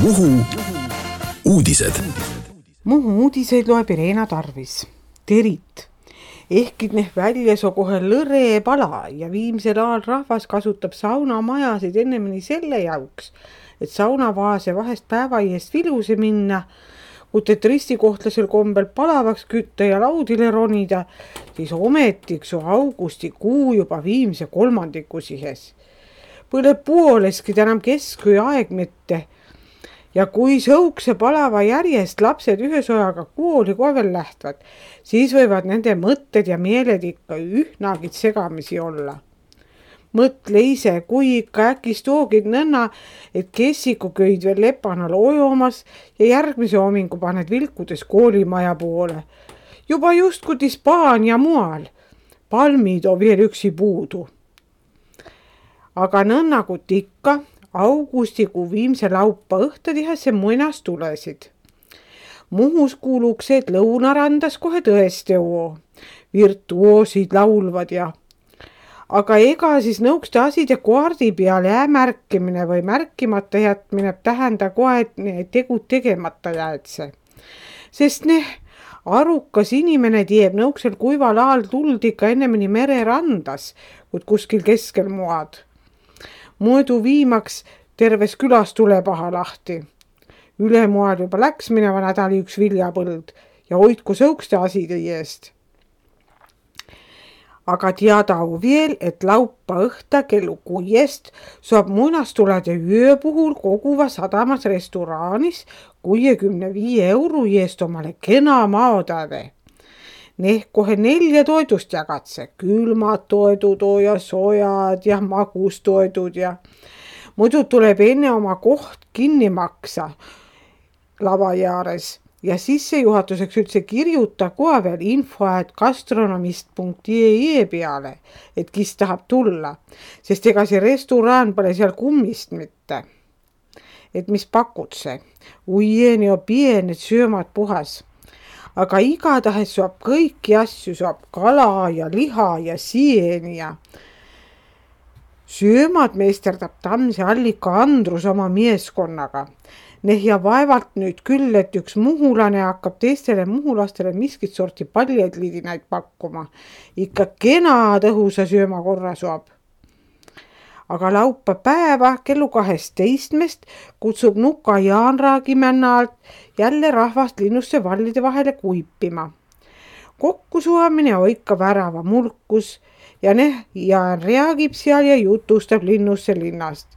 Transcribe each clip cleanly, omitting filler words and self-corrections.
Muhu uudised. Muhu uudiseid loeb Irena Tarvis. Terit. Ehkid neh väljaso kohe lõre pala ja viimsel ajal rahvas kasutab saunamajasid ennemini selle jauks, et saunavaase vahest päeva eest viluse minna, kut et ristikohtlasel kombel palavaks kütta ja laudile ronida, siis ometiksu augustikuu juba viimse kolmandiku sihes. Põle pooleski enam kesköö aeg mitte. Ja kui sõukse palava järjest lapsed ühe sojaga kooli kovel lähtvad, siis võivad nende mõtted ja meeled ikka ühnagid segamisi olla. Mõtle ise, kui ikka äkis toogid nõnna, et kessiku köid veel lepanal ojomas ja järgmise homingu paned vilkudes koolimaja poole. Juba just kui Hispaania mual. Palmid on veel üksi puudu. Aga nõnnakut ikka augustikuu viimse laupa õhtadihesse muinas tulesid. Muhus kuuluks, et lõunarandas kohe tõesti virtuoosid laulvad ja. Aga ega siis nõukste aside kaardi peale märkimine või märkimata jätmine tähenda kohe, et tegud tegemata jäetse. Sest arukas inimene tieb nõuksel kuival ajal tuld ikka ennemini mererandas, kui kuskil keskel moad. Muidu viimaks terves külas tulepaha lahti. Ülemoal juba läks mineva nädali üks viljapõld ja hoidku sõukste aside eest. Aga teada veel, et laupa õhta kellu 6 saab muinastulede öö puhul koguva sadamas restoraanis 65 € eest omale kena maotäve. Kohe 4 toidust jagatse, külmad toidud ja sojad ja magustoidud ja muidu tuleb enne oma koht kinni maksa lava jaares ja sissejuhatuseks üldse kirjuta kohe veel info, et gastronomist.ee peale, et kes tahab tulla, sest ega see restoraan pole seal kummist mitte. Et mis pakud see? Uieni on pienet söömad puhas. Aga igatahes saab kõiki asju, saab kala ja liha ja sieni ja söömad meisterdab Tammse allika Andrus oma meeskonnaga. Ja vaevalt nüüd küll, et üks muhulane hakkab teistele muhulastele miskit sorti paljedliidinaid pakkuma. Ikka kena tõhusa sööma korra saab. Aga laupa päeva kellu 12 kutsub Nuka Jaanraagimänna alt jälle rahvast linnusse vallide vahele kuipima. Kokkusuamine on ikka värava mulkus ja Jaan reagib seal ja jutustab linnusse linnast.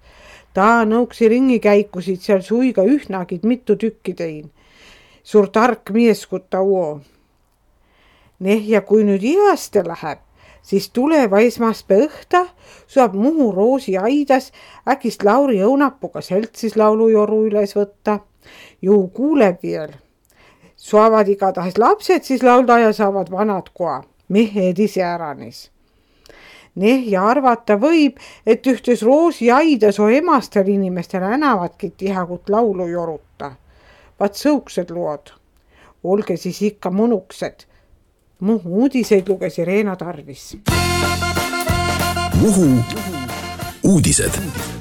Ta nõuksi ringikäikusid seal suiga ühnagid mitu tükki tein. Suur tark mieskutta uo. Ja kui nüüd ihaste läheb, siis tuleva esmaspäeva õhta saab Muhu Roosi aidas äkist Lauri Õunapuga seltsis laulujoru üles võtta. Ju kuuleb veel. Saavad igatahes lapsed siis laulda ja saavad vanad koa. Mehed ise äranis. Ja arvata võib, et ühtes Roosi aidas on emastel inimestel enavadki tihakut laulu joruta. Vaat sõuksed lood. Olge siis ikka mõnuksed. Muhu uudiseid luges Irena Tarvis. Muhu uudised.